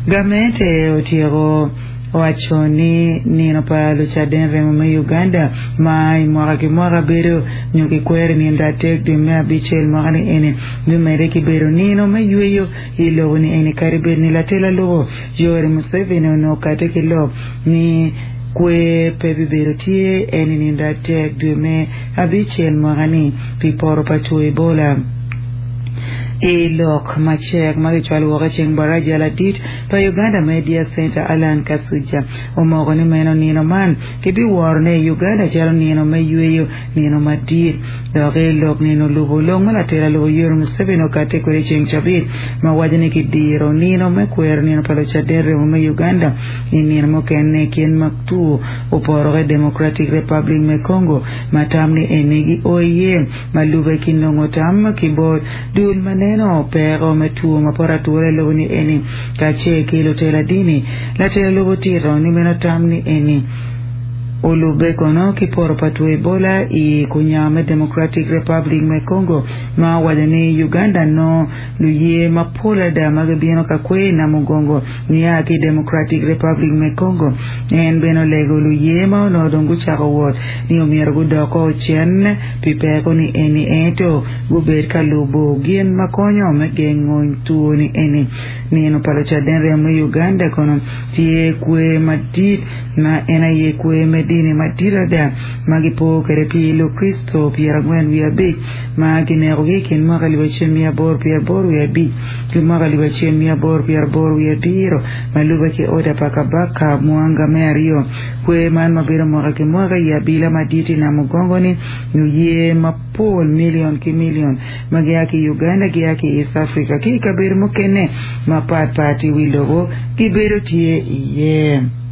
Gamente otyeko waco ni nino pa lucaden remo me Uganda ma i mwaka ki mwaka bedo nyo kikwero i nino adek dwe me abicel mwaka ni eni bimedde ki bedo nino me yweyo i lobo ni eni kadi bed ni latel alubo Yoweri Museveni onongo okate ki lok ni kwer pe bibedo tye en i nino adek dwe me abicel mwaka ni pi poto pa two Ebola. I lok macek ma kicwalo woko i ceng baraja ladit pa Uganda Media Centre Allan Kasujja omoko ni meno nino man kibiworone i Uganda calo nino me yweyo nino madit. Dok i lok nino lubo lok ma latela lobo Yoweri Museveni okatte kwede ceng cabit ma waco ni kidiro nino me kwero nino pa lucaden remo me Uganda i nino mukene kit ma two oporo ki Democratic Republic me Congo ma tam ni eni gio iye Ma lube ki nongo tam ki bot dul ma neno peko me two ma poto atura i lobo ni eni kacel ki lutela dini, latela lobo otito ni meno tam ni eni olube kono ki poto pa two Ebola i kunyango me Democratic Republic me Congo ma owaco ni Uganda nongo luye mapol ada ma gibino ka kwer i Namugongo nia ki i Democratic Republic me Congo. En bene olego luye ma onongo dong gucako wot ni omyero gudok cen pi peko ni eni ento gubed ka lubo gin ma konyo me gengo two ni eni. Nino pa Lucaden Remo me Uganda kono tye kwer madit ma en aye kwer me dini madit ada ma gipo kwede pi Lukricito 45 ma kinekogi i kin mwaka 1885 ki mwaka 1887 ma lubbe ki oda pa Kabaka Mwanga me Aryo. Kwer man ma bedo mwaka ki mwaka i abila madit i Namugongo-ni luye mapol milion ki milion ma gia ki i Uganda, gia ki i East Africa ki i kabedo mukene mapat pat i wi lobo gibedo tye iye.